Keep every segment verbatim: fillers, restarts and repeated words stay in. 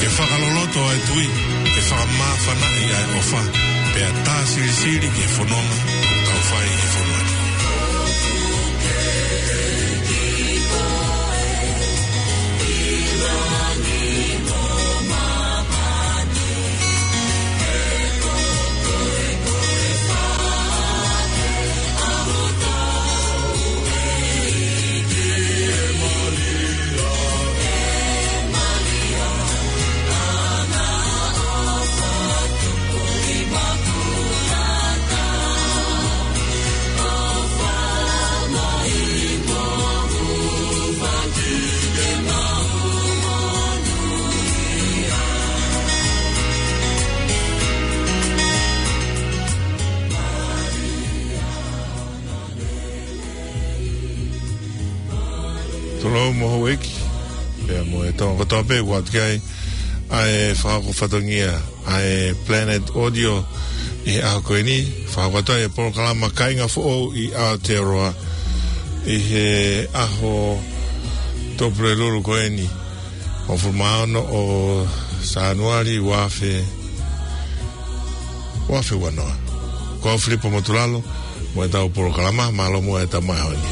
Ke fakaloloto ʻa e tui, ke fakamāfanaʻi ʻa e ʻofa, pea tā silisili ki he fononga ʻoku tau fai he fonua ni. Tolou mo houʻeiki, pea mo e Tonga kotoa pē ʻoku ʻatu ki ai ʻa e fakahoko fatongia ʻa e Planet Audio ʻi he ʻaho ko eni, fakahoko atu ai e polokalama Kāinga Foʻou ʻi Aotearoa ʻi he ʻaho Tupulelulu ko eni, hongofulu mā ono ʻo Sānuali, ua afe, ua afe ua noa. Ko au Filipo Motulalo, mo e tau polokalama, mālō muʻa e tau mai honi.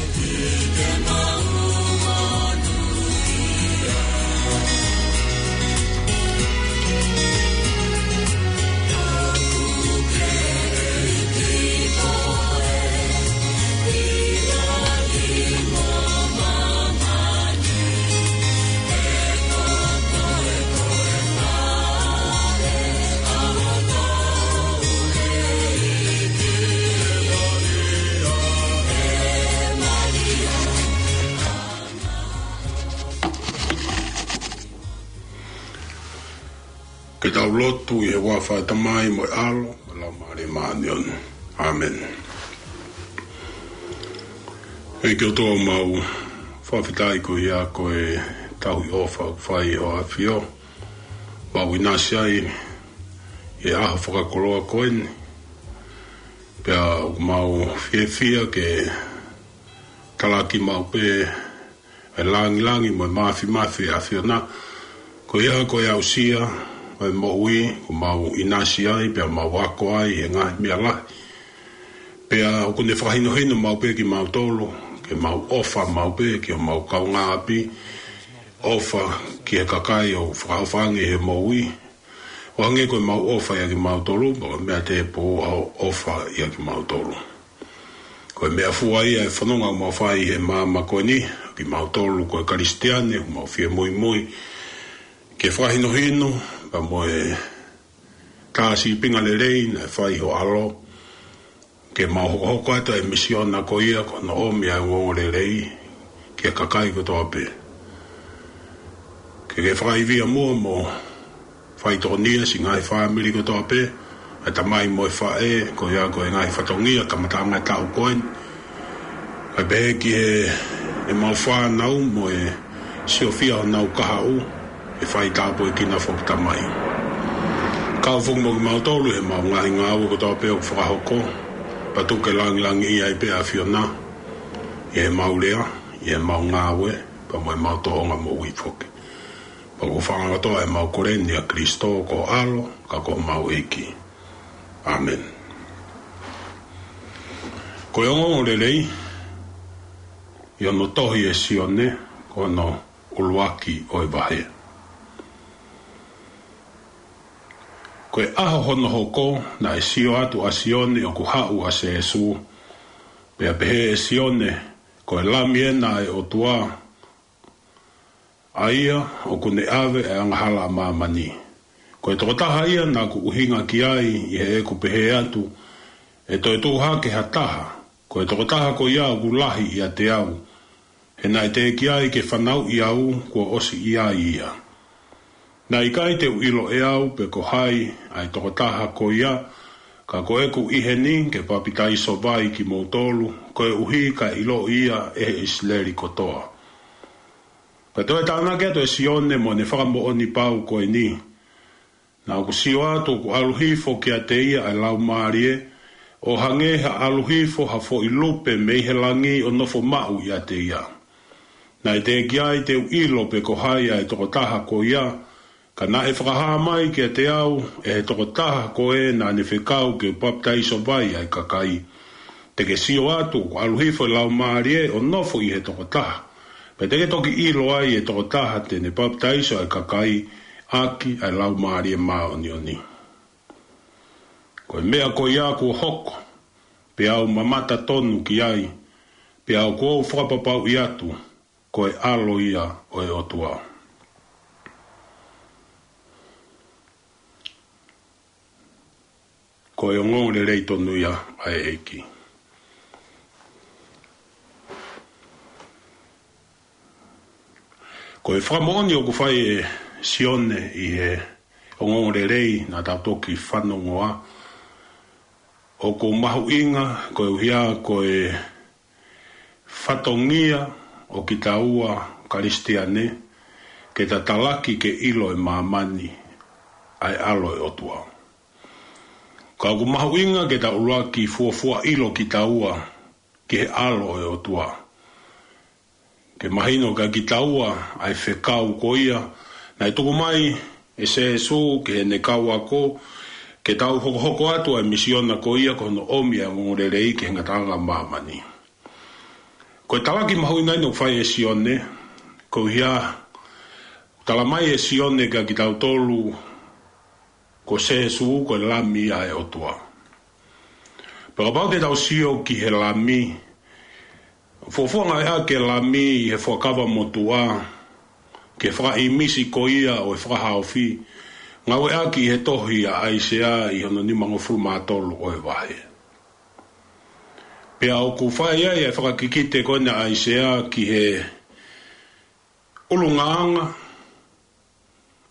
Ke tau lotu. ʻI he huafa ʻo e Tamai mo e ʻAlo mo e Laumālie Māʻoniʻoni. ʻĀmeni. ʻEiki ʻOtua, ʻoku mau fakafetaʻi koeʻuhi ko e tauhi ʻofa ʻoku fai ʻe ho ʻAfio. Mau ʻinasi ai ʻi he ʻaho fakakoloa ko eni. Pea ʻoku mau fiefia ke talaki maʻu pē e langilangi mo e māfimafi ʻa e ʻAfiona. Koeʻuhi ko e aʻusia ʻo e moʻui, ʻoku mau ʻinasi ai, pea mau ako ai he ngaahi meʻa lahi. Pea ʻoku ne fakahinohino maʻu pē kimautolu, ke mau ʻofa maʻu pē ki homau kaungāʻapi, ʻofa ki he kakai ʻoku fakaʻofa ange he moʻui. ʻO hangē ko ʻemau ʻofa ʻia kimautolu, pea ko e meʻa tēpū ʻa hoʻo ʻofa ʻia kimautolu. Ko e meʻafua ia e fononga ʻoku mau fai he māmani ko eni, kimautolu ko e Kalisitiane, ʻoku mau fie muimui ke fakahinohino, pea mo e tā sīpinga lelei naʻe fai ʻe ho ʻAlo, ke mau hokohoko atu e misiona ko ia ko hono ʻomi ʻa e ongoongolelei ki he kakai kotoa pē. Ke ke fakaivia muʻa mo faitokonia siʻi ngaahi fāmili kotoa pē, ʻa e tamai mo e faʻē, koeʻuhi ko e ngaahi fatongia kamataʻanga e taʻu ko eni. Kae pehē ki he, ʻemau fānau mo e siofia honau kahaʻu, ʻe fai tāpuekina foki Tamai. Kau foki mo kimautolu he ʻemau ngaahi ngāue kotoa pē ʻoku fakahoko, pea tuku ke langilangiʻia ai pē ʻa e ʻAfiona, ʻi heʻemau lea, ʻi heʻemau ngāue, pea mo ʻemau tōʻonga moʻui foki. Pea ko e fakaʻaonga kotoa ʻemau kole ni ʻia Kalaisi ko ho ʻAlo, ka ko homau ʻEiki. ʻĀmeni. Ko e ongoongolelei, ʻi hono tohi ʻe Sione, ko hono ʻuluaki ʻo e vahe. Ko e ʻaho hono hoko, naʻe sio atu ʻa Sione ʻoku haʻu ʻa Sēsū, pea pehē ʻe Sione, Ko e Lami ena ʻa e ʻOtua, ʻa ia ʻoku ne ʻave ʻa e angahala ʻa māmani. Ko e tokotaha ia naʻa ku ʻuhinga ki ai ʻi heʻeku pehē atu, ʻE toe tuʻu hake ha taha, ko e tokotaha ko ia ʻoku lahi ʻiate au, he naʻe teʻeki ai ke fanauʻi au kuo ʻosi ʻi ai ia. Naʻe ʻikai te u ʻilo ʻe au pe ko hai ʻa e tokotaha ko ia, ka ko ʻeku ʻi heni ke papitaiso vai kimoutolu, koeʻuhi kae ʻiloʻi ia ʻe he ʻIsileli kotoa. Pea toe tānaki atu ʻe Sione mo ʻene fakamoʻoni pau ko eni, Naʻa ku sio atu ʻoku ʻalu hifo kiate ia ʻa e Laumālie, ʻo hangē ha ʻalu hifo ha foʻi lupe mei he langi ʻo nofo maʻu ʻiate ia. Naʻe teʻeki ai te u ʻilo pe ko hai ʻa e tokotaha ko ia, Ka naʻe fakahā mai kiate au ʻe he tokotaha ko ē naʻa ne fekau ke papitaiso vai ʻa e kakai, te ke sio atu, ʻoku ʻalu hifo e Laumālie ʻo nofo ʻi he tokotaha, pea te ke toki ʻilo ai e tokotaha te ne papitaiso ʻa e kakai ʻaki ʻa e Laumālie Māʻoniʻoni. Ko e meʻa ko ia kuo hoko, pea u mamata tonu ki ai, pea ʻoku ou fakapapauʻi atu, ko e ʻAlo ia ʻo e ʻOtua. Ko e ongoongolelei tonu ia ʻa e ʻEiki. Ko e fakamoʻoni ʻoku fai ʻe Sione ʻi he ongoongolelei naʻa tau toki fanongoa, ʻoku mahuʻinga koeʻuhi ko e fatongia ʻo kitaua Kalisitiane, ke ta talaki ke ʻilo ʻe māmani ʻa e ʻAlo ʻo e ʻOtua. Ka ʻoku mahuʻinga ke ta ʻuluaki fuofua ʻilo kitaua ki he ʻAlo ʻo e ʻOtua, ke mahino kia kitaua ʻa e fekau ko ia naʻe tuku mai ʻe Sēsū ki heʻene kau ako, ke tau hokohoko atu ʻa e misiona ko ia ko hono ʻomi ʻa e ongoongolelei ki he ngataʻanga ʻo māmani. Ko e talaki mahuʻinga ʻeni ʻoku fai ʻe Sione, koeʻuhi, tala mai ʻe Sione kia kitautolu, ko Sēsū ko e Lami ʻa e ʻOtua. Pea kapau te tau sio ki he Lami, fuofua ngāueʻaki e Lami ʻi he Fuakava Motuʻa ki he fakaʻīmisi ko ia ʻo e fakahaofi, ngāueʻaki ʻi he tohi ʻa ʻAisea ʻi hono nimangofulu mā tolu ʻo e vahe. Pea ʻoku fai ai ʻa e fakakikite ko ena ʻa ʻAisea ki he ʻulungaanga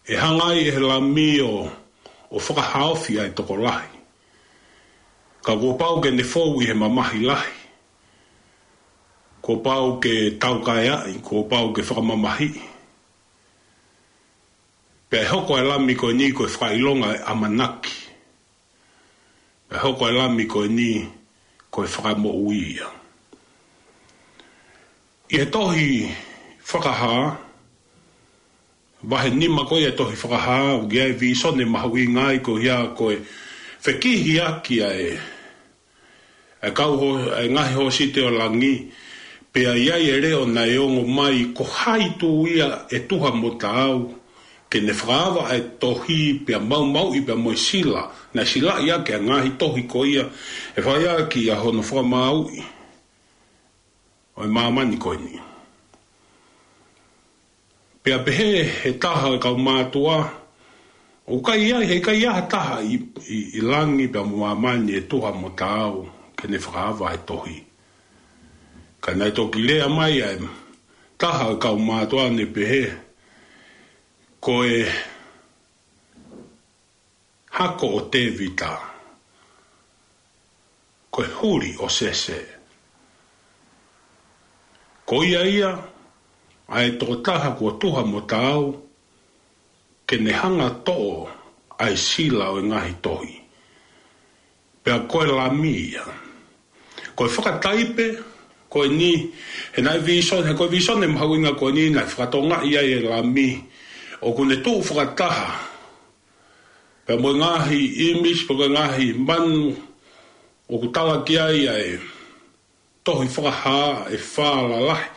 ʻe hanga ai ʻe he Lami ʻo, ʻo fakahaofi ʻa e tokolahi. Ka kuo pau ke ne fou ʻi he mamahi lahi. Kuo pau ke taukaeaʻi, kuo pau ke fakamamahiʻi. Pea ʻe hoko ʻa e Lami ko eni ko e fakaʻilonga ʻo e ʻamanaki. Pea ʻe hoko ʻa e Lami ko eni ko e fakamoʻui ia. ʻI he tohi Fakahā, vahe nima ko ia ʻo e tohi Fakahā, ʻoku ʻi ai e vīsone mahuʻinga ai koeʻuhi ko e fekihiʻaki ʻa e, ʻa e kau hō-, ʻa e ngaahi hōsite ʻo langi, pea ʻi ai e leʻo naʻe ongo mai, ko hai tū ia ʻe tuha mo taau, ke ne fakaava ʻa e tohi pea maumauʻi pea mo e sila, naʻe silaʻi ʻaki ʻa e ngaahi tohi ko ia, ʻe fai ʻaki ʻa hono fakamāuʻi ʻo e māmani ko eni. Pea pehē ʻe he taha ʻo e kau mātuʻa, ʻoku ʻikai ai, heʻikai ha taha ʻi, ʻi, ʻi langi pea mo māmani ʻe tuha mo taau ke ne fakaava ʻa e tohi. Ka naʻe toki lea mai ʻa e taha ʻo e kau mātuʻa ʻo ne pehē, ko e hako ʻo Tēvita, ko e huli ʻo Sese. Ko ia ia ʻa e tokotaha kuo tuha mo taau ke ne hanga ʻo toʻo ʻa e sila ʻo e ngaahi tohi. Pea ko e Lami ia. Ko e fakataipe ko eni, he naʻe vīsone, he ko e vīsone mahuʻinga ko eni naʻe fakatokangaʻi ai e Lami, ʻoku ne tuʻu fakataha pea mo e ngaahi ʻīmisi, pea mo e ngaahi manu ʻoku tala ki ai ʻa e tohi Fakahā ʻe fā lalahi,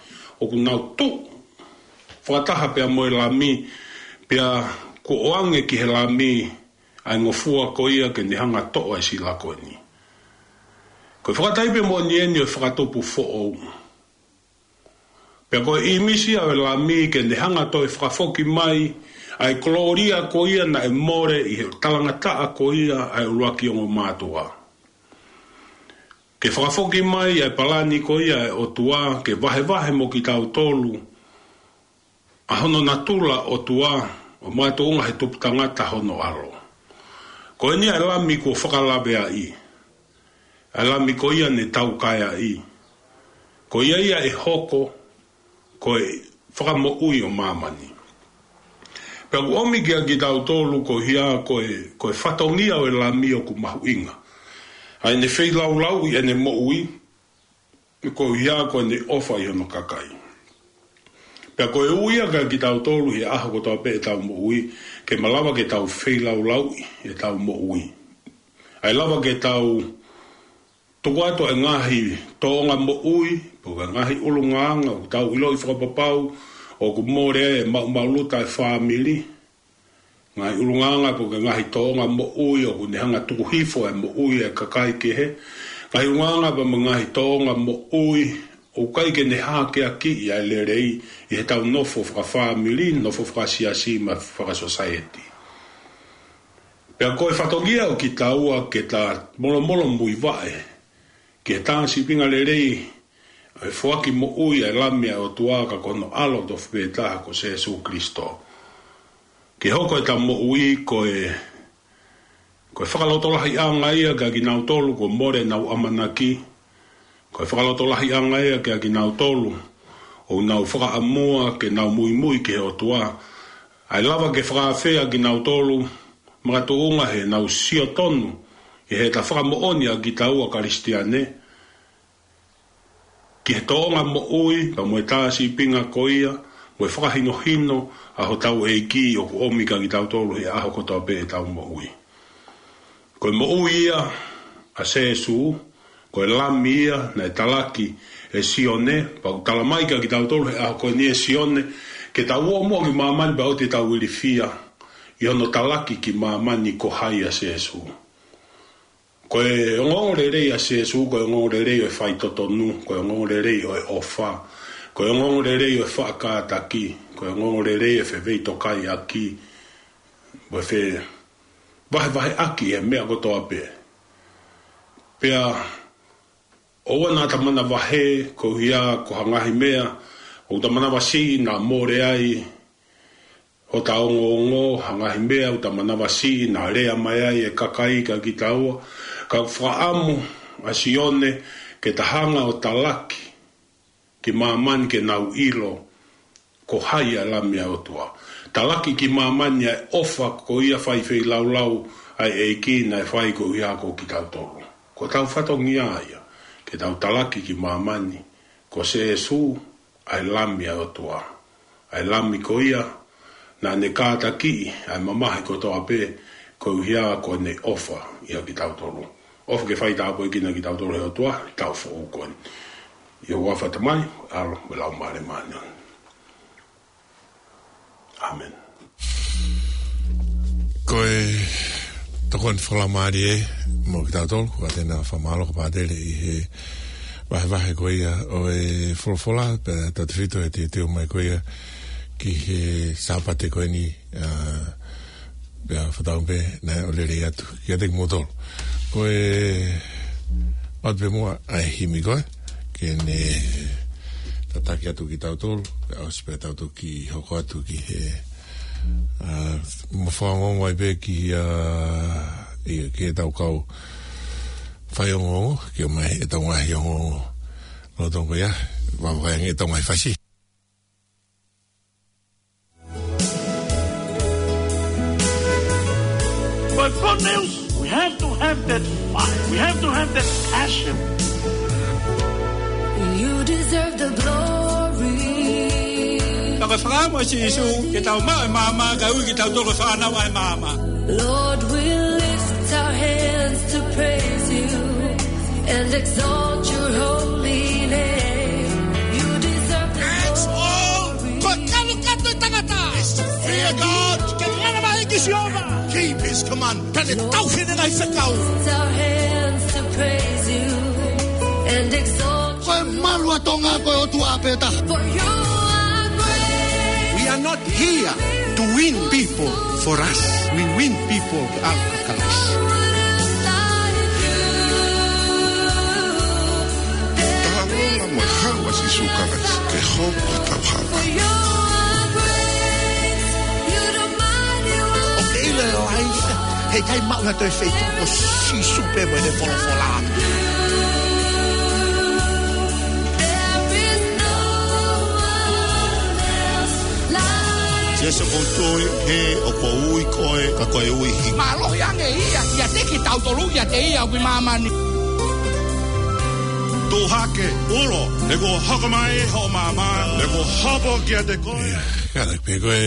ʻoku nau tuʻu fakataha pea mo e Lami, pea kuo ʻoange ki he Lami ʻa e ngofua ko ia ke ne hanga ʻo toʻo ʻa e sila ko eni. Ko e fakataipe moʻoni eni ʻo e fakatupu foʻou. Pea ko e ʻīmisi ia ʻo e Lami ke ne hanga ʻo toe fakafoki mai ʻa e kolōlia ko ia naʻe mole ʻi he talangataʻa ko ia ʻa e ʻuluaki ongo mātuʻa. Ke fakafoki mai ʻa e palani ko ia ʻa e ʻOtua, ke vahevahe mo kitautolu ʻa hono natula ʻOtua, ʻo makatuʻunga he tupu tangata hono ʻAlo. Ko eni ʻa e Lami kuo fakalaveaʻi, ʻa e Lami ko ia ne taukaeaʻi. Ko ia ia ʻe hoko ko e fakamoʻui ʻo māmani. Pea ʻoku ʻomi kia kitautolu koeʻuhi ko e, ko e fatongia ʻo e Lami ʻoku mahuʻinga. ʻA ʻene feilaulauʻi ʻene moʻui, koeʻuhi ko ʻene ʻofa ʻi hono kakai. Ka ko e ui ia kiate kitautolu he ʻaho kotoa pē ʻetau moʻui, ke malava ke tau feilaulauʻi ʻetau moʻui. ʻA e lava ke tau tuku atu e ngaahi tōʻonga moʻui, pe ko e ngaahi ʻulungaanga ʻoku tau ʻiloʻi fakapapau ʻoku mole ai e maʻumaʻuluta e fāmili. Ngaahi ʻulungaanga pe ko e ngaahi tōʻonga moʻui ʻoku ne hanga tuku hifo e moʻui e kakai kehe. Ngaahi ʻulungaanga pe mo e ngaahi tōʻonga moʻui ʻoku ʻikai ke ne hākeakiʻi ʻa e lelei ʻi heʻetau nofo fakafāmili, nofo fakasiasi mo fakasosaieti. Pea ko e fatongia ʻo kitaua ke ta molomolo muivaʻe ki he tā sīpinga lelei, ʻa e foaki moʻui ʻa e Lami ʻa e ʻOtua ka ko hono ʻAlo tofu pē taha ko Sēsū Kalaisi. Ke hoko ʻeta moʻui ko e, ko e fakalotolahiʻanga ia kiate kinautolu kuo mole ʻenau ʻamanaki. Ko e fakalotolahiʻanga ia kiate kinautolu ʻoku nau fakaʻamua ke nau muimui ki he ʻOtua. ʻA e lava ke fakaafeʻi kinautolu makatuʻunga heʻenau sio tonu ʻi heʻeta fakamoʻoni ʻa kitaua Kalisitiane ki he tōʻonga moʻui, pea mo e tā sīpinga ko ia, mo e fakahinohino ʻa hotau ʻEiki ʻoku ʻomi kiate kitautolu he ʻaho kotoa pē ʻetau moʻui. Ko e moʻui ia ʻa Sēsū, ko e Lami ia naʻe talaki ʻe Sione, pea ʻoku tala mai kiate kitautolu he ʻaho ko eni ʻe Sione, ke tau ō muʻa ki māmani pea ʻoua te tau ilifia ʻi hono talaki ki māmani ko hai ʻa Sēsū. Ko e ongoongolelei ʻa Sēsū, ko e ongoongolelei ʻo e faitotonu, ko e ongoongolelei ʻo e ʻofa, ko e ongoongolelei ʻo e faʻa kātaki, ko e ongoongolelei ʻo e feveitokaiʻaki, mo e fevahevaheʻaki e meʻa kotoa pē. Pea ʻoua naʻa ta manavahē koeʻuhi ko ha ngaahi meʻa ʻoku ta manavasiʻi naʻa mole ai hota ongoongo, ha ngaahi meʻa ʻoku ta manavasiʻi naʻa lea mai ai e kakai kiate kitaua, ka ʻoku fakaʻamu ʻa Sione ke ta hanga ʻo talaki ki māmani ke nau ʻilo ko hai ʻa e Lami ʻa e ʻOtua. Talaki ki māmani ʻa e ʻofa ko ia fai feilaulau ʻa e ʻEiki naʻe fai koeʻuhi ko kitautolu. Ko hotau fatongia ia, ke tau talaki ki māmani ko Sēsū ʻa e Lami ʻa e ʻOtua. ʻA e Lami ko ia naʻa ne kātakiʻi ʻa e mamahi kotoa pē koeʻuhi ko ʻene ʻofa ʻia kitautolu. ʻOfa ke faitāpuekina kitautolu ʻe he ʻOtua he taʻu foʻou ko eni. ʻI he huafa ʻo e Tamai, ʻAlo, mo e Laumālie Māʻoniʻoni. ʻĀmeni. Ko e tokoni fakalaumālie mo kitautolu, ko Katena Fakamāloka Pātele ʻi he vahevahe ko ia ʻo e folofola, pea tautefito he teuteu mai ko ia ki he Sāpate ko eni, ā, pea fakatauange pē naʻe ʻofa lelei atu kiate kimoutolu. Ko e ʻoatu pē muʻa ʻa e himi ko ē, ke ne tataki atu kitautolu, pea ʻosi pē tautolu ki hoko atu ki he, ā, mo fakaongoongo ai pē ki, ā, ʻi, ki heʻetau kau faiongoongo, ke ʻomai ʻetau ngaahi ongoongo. Lolotonga ia, vavakai ange ʻetau ngaahi fasi. But good news, we have to have that fire. We have to have that passion. You deserve the glory. Ka ko e fakaʻamu ʻa Sīsū, ke tau maʻu e maama, kae ui kitautolu ko e fānau ʻa e maama. Lord, we lift our hands to praise you and exalt your holy name. You deserve the glory. That's all. Ko e kalukatu e tangata. Fear God. Ke manavahē ki Sihova. Keep his command. Pea ne tauhi ʻene ngaahi fekau. Lift our hands to praise you and exalt. Ko e malu ʻa Tonga ko e ʻOtua pē taha. For you are great. We are not here to win people for us. We win people to our Christ. Taha lolo mo e haʻu ʻa Sīsū Kalaisi ke hoko ko hotau haʻu. ʻOku ke ʻilo e life, heʻikai maʻu ha toe feituʻu ko Sīsū pē mo ʻene folofola. Sio, sio, ʻoku ou tui he ʻoku ou ui koe, ka ko e ui himi. Mālohi ange ia, ʻiate kitautolu, ʻiate ia ʻoku ʻi māmani. Tuʻu hake, ulo, he kuo hoko mai hoʻo maama, he kuo hopo kiate koe. Ia, kātaki pē ko e,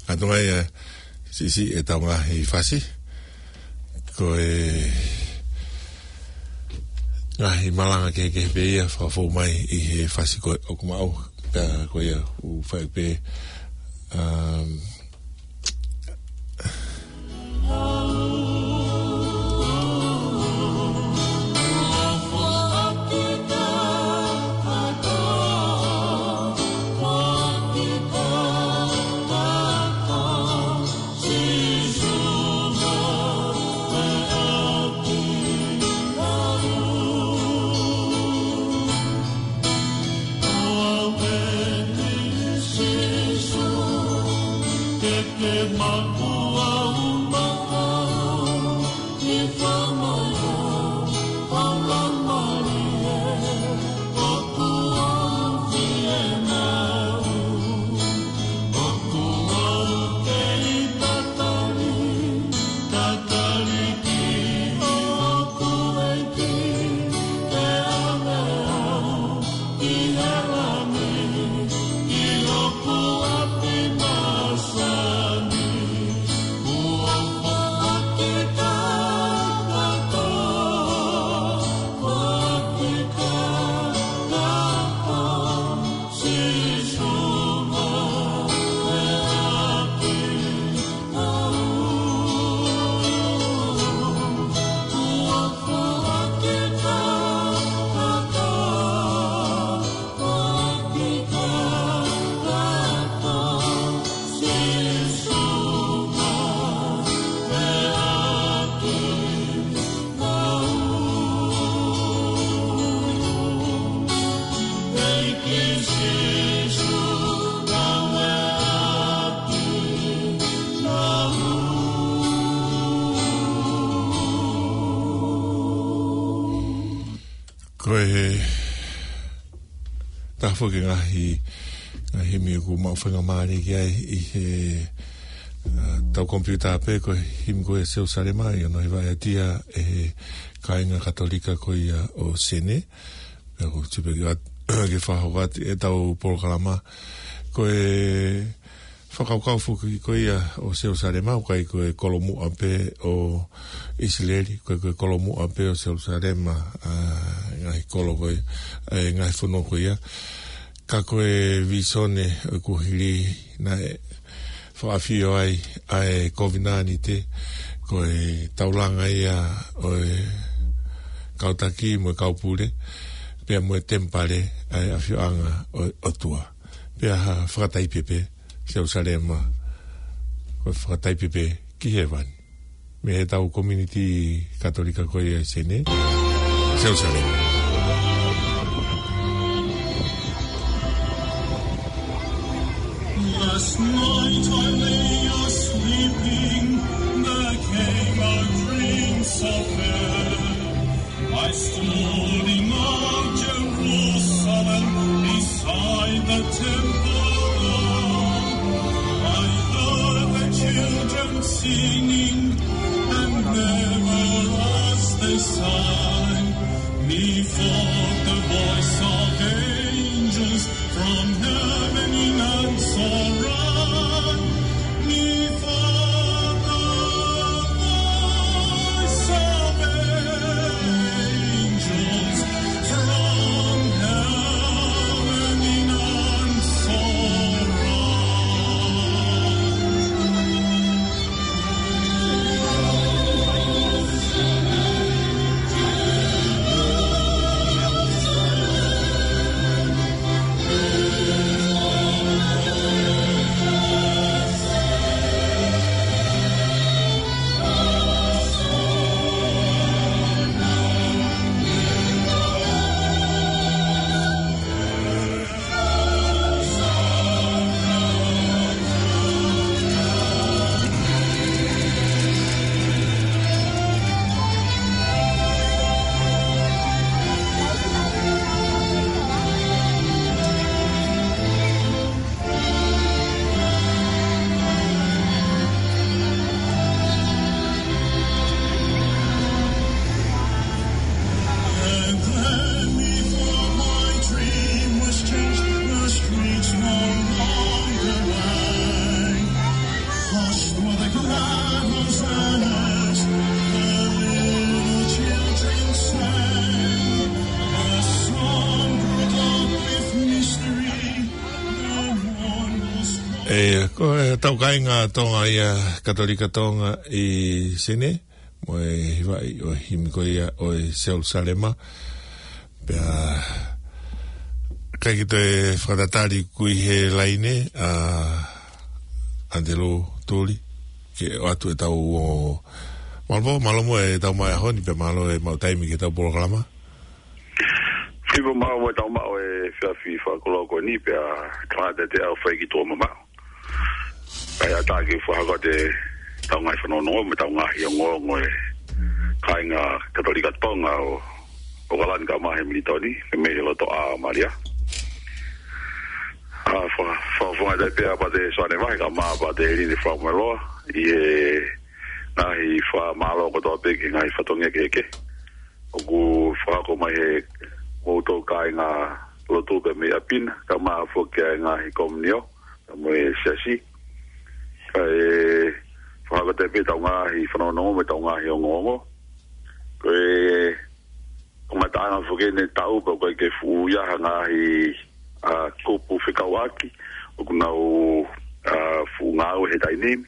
kātoa mai, ē, siʻisiʻi ʻetau ngaahi fasi. Ko e ngaahi malanga kehekehe pē ia fakafou mai ʻi he fasi ko ē ʻoku maʻu, pea ko ia ʻoku fai pē, um, Ko e taha foki ngaahi, ngaahi himi ʻoku mau faingamālie ki ai ʻi he, ā, tau komipiuta pē, ko e himi ko e Selusalema, ʻi hono hivaʻi ʻe he kāinga Katolika ko ia ʻo Sene. Pea ko e tuʻu pē ke vat-, ke fakahoko atu ʻetau polokalama. Ko e fakakaukau foki ko ia ʻo Selusalema, ʻoku ʻikai ko e kolomuʻa pē ʻo ʻIsileli, ʻoku ʻikai ko e kolomuʻa pē ʻo Selusalema, ā, ngaahi kolo ko ia, ē, ngaahi fonua ko ia. Ka ko e vīsone ʻoku hili naʻe fakaʻafio ai ʻa e kovinānite, ko e taulanga ia ʻo e kau taki mo e kau pule, pea mo e temipale ʻa e ʻafioʻanga ʻo e ʻOtua. Pea ha fakataipe pē, Selusalema, ko e fakataipe pē ki hēvani. Mei heʻetau community Katolika ko ia ʻi Sene, Selusalema. Last night I lay a sleeping, there came a dream so fair. I stood in old Jerusalem beside the temple. I heard the children singing, and never as they sang, methought the voice of angels from heaven in answer rang. Methought the voice of angels from heaven in answer rang. E, ko e tau kāinga Tonga ia, Katolika Tonga ʻi Senē, mo e hivaʻi ʻo e himi ko ia ʻo e Selusalema. Pea, ʻikai ke toe fakatatali ʻoku ʻi he laine, ʻa ʻAnitelū Tuli, ke ʻoatu e tau o, mālō, mālō mo e tau mai ahoni, pea mālō e maʻu taimi ki he tau polokalama. Fiva mālō mo e tau maʻu e efiafi fakakoloa ko eni pea kātaki ʻo fai ki tuʻa mamaʻo. Kae ʻatā ke fakahoko atu e tau ngaahi fanongonongo mo e tau ngaahi ongoongo e kāinga Katolika Tonga ʻo, ʻo Okalani kae ʻumaʻā Hemilitoni, ke mei he loto ʻa Malia. ʻA, fa-, fa-, fakafofonga atu pē ʻa Pātele Soane Vahe kae ʻumaʻā Pātele Helini Fakamoeloa, ʻi he ngaahi fakamālō kotoa pē ki he ngaahi fatongia kehekehe ʻoku fakahoko mai ʻe he kimoutolu kāinga lotu pē mei ʻapi na, kae ʻumaʻā foki e ngaahi komiunitī, kae mo e siasi. Kae fakahoko atu pē tau ngaahi fanongonongo mo e tau ngaahi ongoongo. Ko e kamataʻanga foki eni e taʻu pea ʻoku ʻikai ke fuʻu ʻi ai ha ngaahi, ʻa, kupu fekauʻaki ʻoku nau, ʻa, fuʻu ngāue he taimi ni,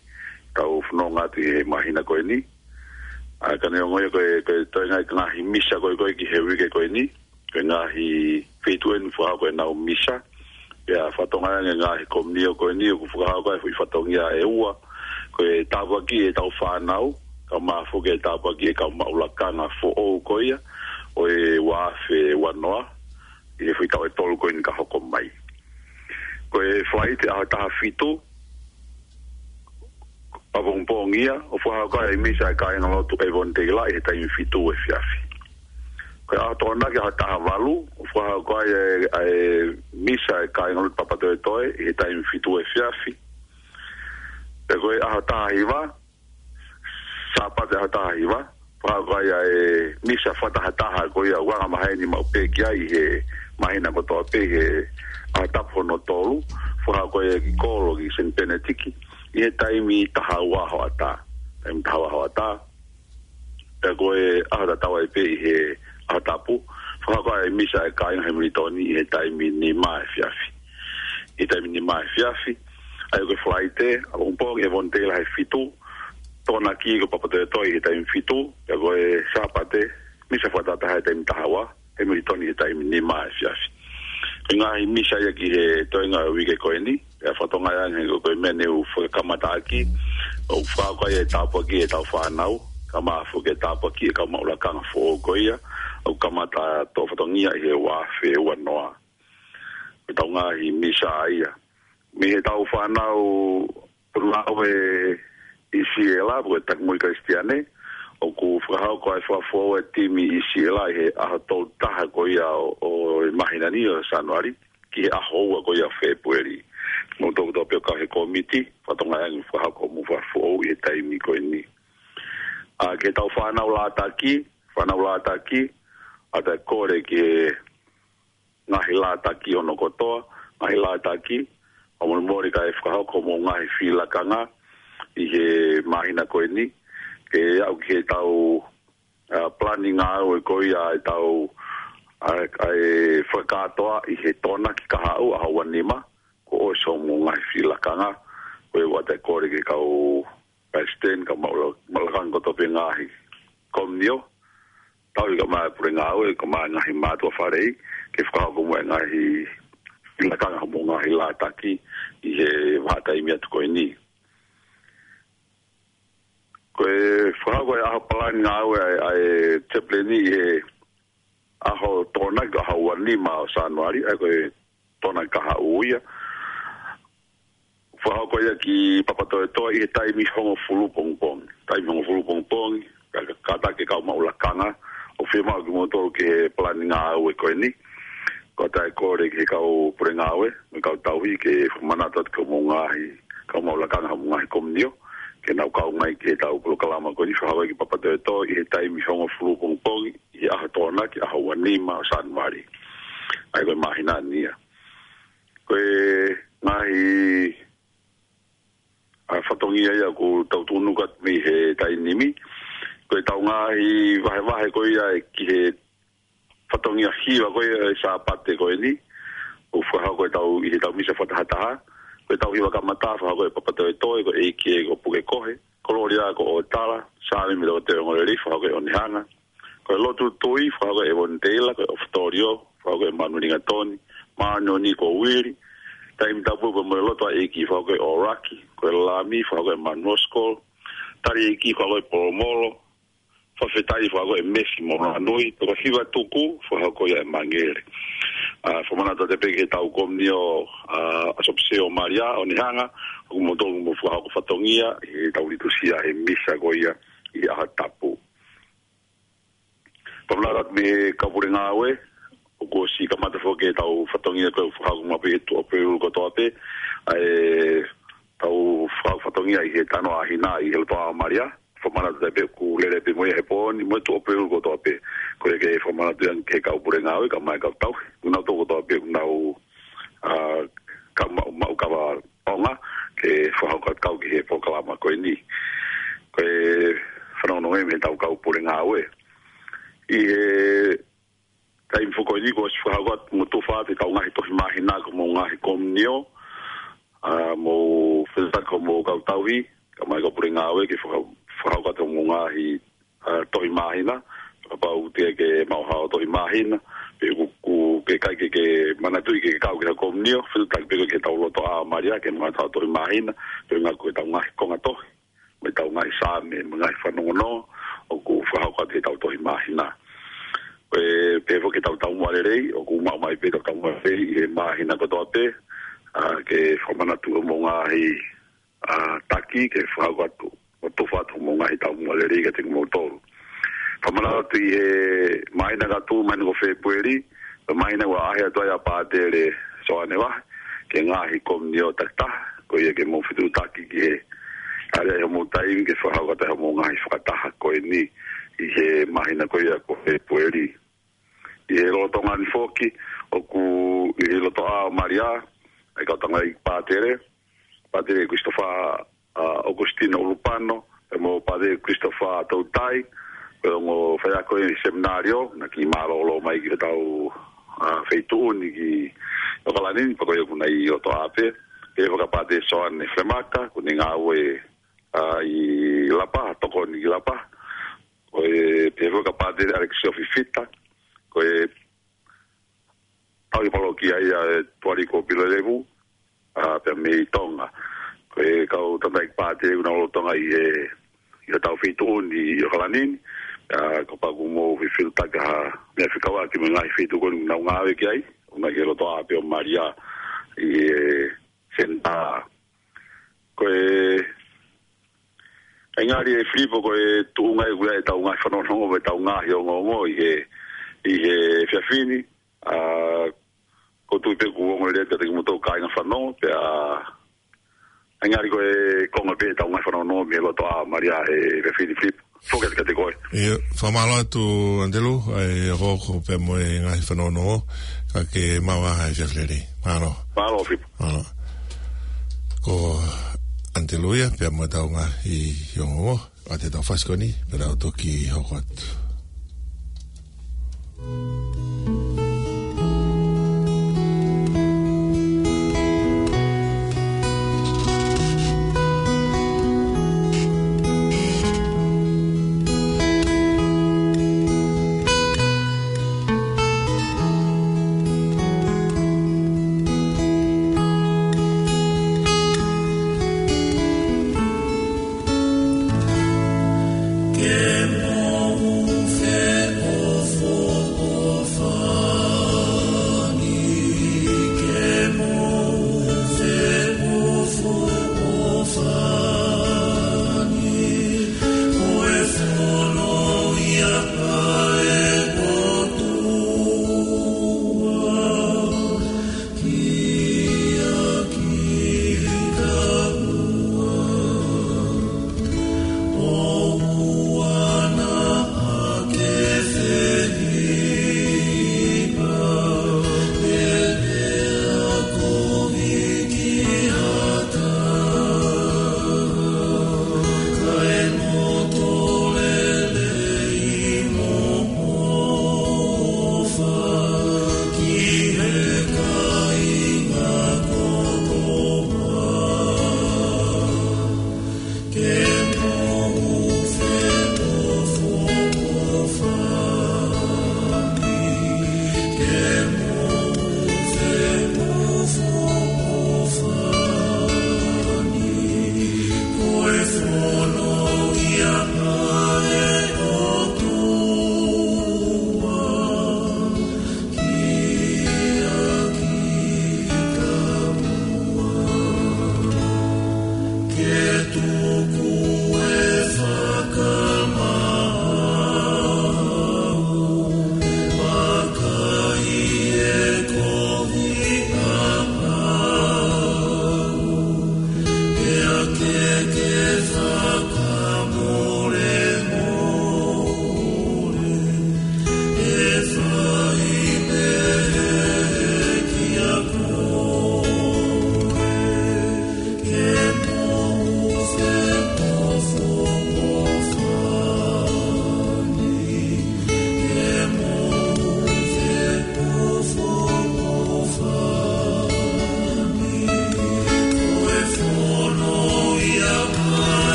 tau fononga atu he māhina ko eni. ʻA, ka neongo ia ko e, ko e toe ngaahi, ngaahi misa ko ē ko ē ki he uike ko eni, ko e ngaahi feituʻu eni ʻoku fakahoko ʻenau misa. Pea fakatokangaʻi ange ngaahi komiunitī ko eni ʻoku fakahoko ai e foʻi fatongia ʻe ua. Ko e tāpuaki e tau fānau, kae ʻumaʻā foki e tāpuaki e kau maʻu lakanga foʻou ko ia ʻo e ua afe ua noa, ʻi he foʻi taʻu ʻe tolu ko eni ka hoko mai. Ko e Falaite ʻaho taha fitu, ʻapongipongi ia, ʻoku fakahoko ai e misa e kāingalotu ʻEvanigelia ʻi he taimi fitu efiafi. Ko e ʻaho Tokonaki ʻaho taha valu, ʻoku fakahoko ai e, e misa e kāingalotu Papatoetoe ʻi he taimi fitu efiafi. Pea ko e ʻaho taha hiva, Sāpate ʻaho taha hiva, fakahoko ai e misa fakatahataha ko ia ʻoku anga maheni maʻu pē ki ai he māhina kotoa pē he ʻaho tapu hono tolu, fakahoko ai ki kolo ki Saint Benedict, ʻi he taimi taha ua hoʻatā. Taimi taha ua hoʻatā. Pea ko e ʻaho tatau ai pē ʻi he ʻaho tapu, fakahoko ai e misa e kāinga Hemilitoni ʻi he taimi nima efiafi. ʻI he taimi nima efiafi, ʻa ia ko e Falaite, ʻapongipongi ʻEvanigelia he fitu, Tokonaki ko Papatoetoe ʻi he taimi fitu, pea ko e Sāpate, misa fakatahataha he taimi taha ua, Hemilitoni he taimi nima efiafi. Ko e ngaahi misa ia ki he toenga uike ko eni, pea fakatokangaʻi ange ko e meʻa ne u fakakamataʻaki, ʻoku fakahoko ai e tāpuaki e tau fānau, kae ʻumaʻā foki e tāpuaki e kau maʻu lakanga foʻou ko ia, ʻoku kamata toʻo fatongia ʻi he ua afe ua noa. Ko e tau ngaahi misa ia. Mei he tau fānau Potungāue ʻi Siela, ko e Takumui Kalisitiane, ʻoku fakahoko ai e fakafoʻou e timi ʻi Siela ʻi he ʻaho tolu taha ko ia ʻo, ʻo e māhina ni ʻo Sānuali, ki he ʻaho ua ko ia Fēpueli. Mo toko tō pē ʻo kau he kōmiti, fakatokangaʻi ange fakahoko mo fakafoʻou ʻi he taimi ko eni. ʻA, ki he tau fānau Lātaki, fānau Lātaki, ʻoatu e kole ki he ngaahi Lātaki hono kotoa, ngaahi Lātaki, ʻo molemole kae fakahoko mo ngaahi fili lakanga ʻi he māhina ko eni, ke aʻu ki he tau, ʻa, palani ngāue ko ia e tau, ʻa, ʻa e fakakātoa ʻi he Tokonaki kahaʻu ʻaho ua nima, ko e ʻosi mo ngaahi fili lakanga, ko e ʻoatu e kole ki he kau palesiteni, kau maʻu la-, maʻu lakanga kotoa pē ngaahi komiunitī, tauhi kae ʻumaʻā e pule ngāue, kae ʻumaʻā e ngaahi mātuʻa faleʻi, ke fakahoko mo e ngaahi fili lakanga mo e ngaahi Lātaki ʻi he vahaʻa taimi atu ko eni. Ko e fakahoko e ʻaho palani ngāue ʻa e, ʻa e chaplain ʻi he ʻaho Tokonaki ʻaho ua nima ʻo Sānuali, ʻa ia ko e Tokonaki kahaʻu ia. Fakahoko ia ki Papatoetoe ʻi he taimi hongofulu pongipongi. Taimi hongofulu pongipongi, ka, ka, kātaki e kau maʻu lakanga, ʻoku fiemaʻu kimoutolu ki he palani ngāue ko eni. Ko e ʻoatu e kole ki he kau pule ngāue, mo e kau tauhi ke fakamanatu atu ki hoʻomou ngaahi, kau maʻu lakanga hoʻomou ngaahi komiunitī, ke nau kau mai ki he tau polokalama ko eni fakahoko ki Papatoetoe ʻi he taimi hongofulu pongipongi, ʻi he ʻaho Tokonaki, ʻaho ua nima ʻo Sānuali. ʻA ia ko e māhina ni ia. Ko e ngaahi, ʻa e fatongia ia ʻoku tau tuʻunuku atu mei he taimi ni. Ko ʻetau ngaahi vahevahe ko ia ʻe ki he fatongia hiva ko ia ʻo e Sāpate ko eni. ʻOku fakahoko ʻetau, ʻi heʻetau misa fakatahataha. Ko ʻetau hiva kamata fakahoko ʻe Papatoetoe, ko e ʻEiki ko Pukekohe. Ko Lōlia ko ʻOtala, Saame mo e Toketā Ongolelei fakahoko ʻe ʻOnehanga. Ko e lotu tui fakahoko ʻe Vonitela, ko e ʻOfotolio fakahoko ʻe Manuelingatoni, Māʻoniʻoni ko Uili, Taimi Tapu pea mo e Loto ʻa e ʻEiki fakahoko ʻe ʻOlaki, ko e Lami fakahoko ʻe Manuosikolo, Tali ʻEiki fakahoko ʻe Polomolo, Fakafetaʻi fakahoko ʻe Mesi mo Lanui, pea ko e Hiva Tuku fakahoko ia ʻe Mangele. ʻA, fakamanatu atu pē ki heʻetau komiunio, ʻa, ʻAsopisio Malia ʻOnehanga, ʻoku mou tonu mo fakahoko fatongia ʻi heʻetau liturgia he misa ko ia ʻi he ʻaho Tapu. Fakamanatu atu mei he kau pule ngāue, ʻoku ʻosi kamata foki ʻetau fatongia ko e fakahoko maʻu pē ʻi he tuʻo pē ʻulu kotoa pē, ʻa ʻetau fakahoko fatongia ʻi he Tano ʻa Hina ʻi he lotoʻā ʻo Malia. Fakamanatu atu pē ʻoku lele pē mo ia he pō ni, mo e tuʻo pē ʻulu kotoa pē. Ko ia ke fakamanatu ia ki he kau pule ngāue, kae ʻumaʻā e kau tauhi. Ko kinautolu kotoa pē ʻoku nau, ʻa, ka maʻu, maʻu kava ʻaonga ke fakahoko atu kau ki he polokalama ko eni. Ko e fanongonongo ia mei heʻetau kau pule ngāue. ʻI he taimi foki ko eni kuo ʻosi fakahoko atu mo tufa atu ʻetau ngaahi tohi māhina ki hoʻomou ngaahi komiunio, ʻa, mo fetaka mo kau tauhi, kae ʻumaʻā e kau pule ngāue ke faka-, fakahoko atu hoʻomou ngaahi ʻa, tohi māhina, kapau te ke maʻu haʻo tohi māhina, pe ʻoku, ʻoku ke ʻikai ke, ke manatuʻi ke kau ki ha komiunio, fetuʻutaki pē koe ki heʻetau lotoʻā ʻo Malia, ke maʻu haʻo tohi māhina, pe ʻoku ʻi ai ʻetau ngaahi konga tohi, mo ʻetau ngaahi saame, mo e ngaahi fanongonongo, ʻoku fakahoko atu heʻetau tohi māhina. Ko e pehē foki ʻetau taumuʻa lelei, ʻoku maʻu mai pē ʻetau taumuʻa lelei, ʻi he māhina kotoa pē, ʻa, ke fakamanatu hoʻomou ngaahi ʻa, taki ke fakahoko atu, ʻo tufa atu hoʻomou ngaahi taumuʻa lelei kiate kimoutolu. Fakamanatu atu ʻi he māhina ka tuʻu, māhina ko Fēpueli, ko e māhina ʻoku ʻaʻahi atu ai ʻa Pātele Soane Vahe, ki he ngaahi komiunio takitaha, ko ia ke mou fetuʻutaki ki he ʻalu ai hoʻomou taimi ke fakahoko atu ai hoʻomou ngaahi fakataha ko eni ʻi he māhina ko ia ko Fēpueli. ʻI he lolotonga ni foki, ʻoku ʻi he lotoʻā ʻo Malia, ʻa e kau tangataʻeiki pātele, Pātele Christopher, ʻa, Augustino Ulupano, pea mo Pātele Christopher Toutai, ko e ongo faiako ʻi he seminalio, naʻe kiʻi mālōlō mai ki hotau, ʻa, feituʻu ni ki ʻOkalani ni, pea ko ia ʻoku nau ʻi lotoʻā pē, pea fakapātele Soane Flemaka, ʻoku ne ngāue, ʻa, ʻi Lapaha, tokoni ki Lapaha, ko e pehē foki kia Pātele ʻAlekisio Fifita, ko e tauhi palokia ia ʻe Tuʻaliko Pilolevu, ʻa, pea mei Tonga. Ko e kau tangataʻeiki pātele ʻoku nau lolotonga ʻi he, ʻi hotau feituʻu ni ʻi ʻOkalani ni, ʻa, kapau ʻoku mou fefilitaki ha meʻa fekauʻaki mo e ngaahi feituʻu ko eni ʻoku nau ngāue ki ai, ʻoku nau ʻi he lotoʻā pē ʻo Malia ʻi he senitā. Ko e, ʻa e ngali ʻe Filipo ko e tuʻunga ia ʻoku ʻi ai ʻetau ngaahi fanongonongo mo ʻetau ngaahi ongoongo ʻi he, ʻi he efiafi ni, ʻa, ʻoku ou tui pē ʻoku ongo lelei atu kiate kimoutolu kāinga fanongo, pea, ʻa e ngali ko e konga pē ʻetau ngaahi fanongonongo mei he lotoʻā ʻo Malia he efiafi ni Filipo. Foki atu kiate koe. ʻIo, fakamālō atu ʻAnitelū, ʻa e hokohoko pea mo e ngaahi fanongonongo, ka ke maʻu ha efiafi lelei. Mālō. Mālō, Filipo. Mālō. Ko ʻAnitelū ia, pea mo ʻetau ngaahi ongoongo, ʻa ʻetau fasi ko eni, pea tau toki hoko atu.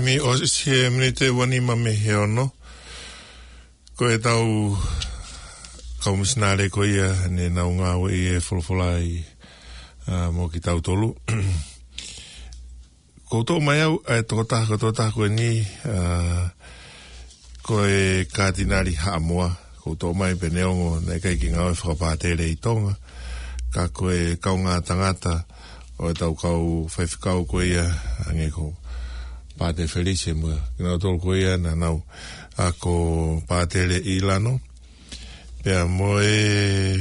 Mei ʻosi he miniti ʻe ua nima mei he ono. Ko e tau kau misinale ko ia ne nau ngāue ʻi he folofola ʻi, ā, mo kitautolu. Ko u toʻo mai au, ʻa e tokotaha, ko e tokotaha ko eni, ā, ko e Katinali Haʻamoa. Ko u toʻo mai pē neongo naʻe ʻikai ke ngāue fakapātele ʻi Tonga. Ka ko e kaungā tangata ʻo e tau kau faifekau ko ia hangē ko Pātele Felise mo kinautolu ko ia naʻa nau ako pātele ʻi Lano. Pea mo e,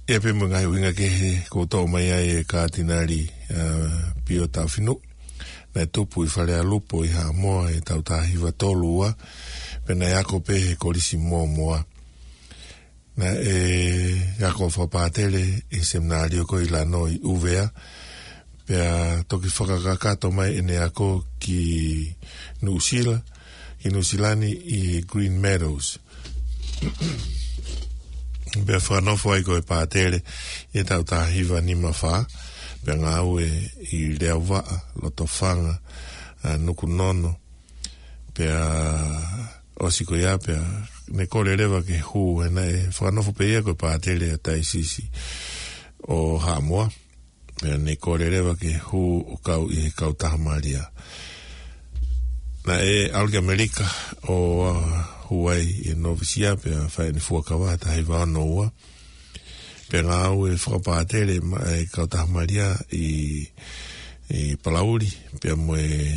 ʻi ai pē mo e ngaahi ʻuhinga kehe ko u toʻo mai ai e Katinali, ā, Pio Taʻofinuʻu. Naʻe tupu ʻi Falealupo ʻi Haʻamoa ʻi he tau taha hiva tolu ua, pea naʻe ako pē he Kolisi Mōmoa. Naʻe ako fakapātele ʻi he seminalio ko ʻi Lano ʻi ʻUvea, pea toki fakakakato mai ʻene ako ki Nuʻusila, ki Nuʻusila ni ʻi Green Meadows. Pea fakanofo ai ko e pātele ʻi he tau taha hiva nima fā, pea ngāue ʻi Leauvaʻa, Lotofanga, ā, Nukunono, pea ʻosi ko ia, pea ne kole leva ke hū, he naʻe fakanofo pē ia ko e pātele ʻa e Taiosisi ʻo Haʻamoa. Pea ne kole leva ke hū ʻo kau ʻi he Kautaha Malia. Naʻe ʻalu ki ʻAmelika ʻo, ā, hū ai ʻi he novisia, pea fai ʻene fuakava he taha hiva ono ua. Pea ngāue fakapātele maʻa e Kautaha Malia ʻi, ʻi Palauli, pea mo e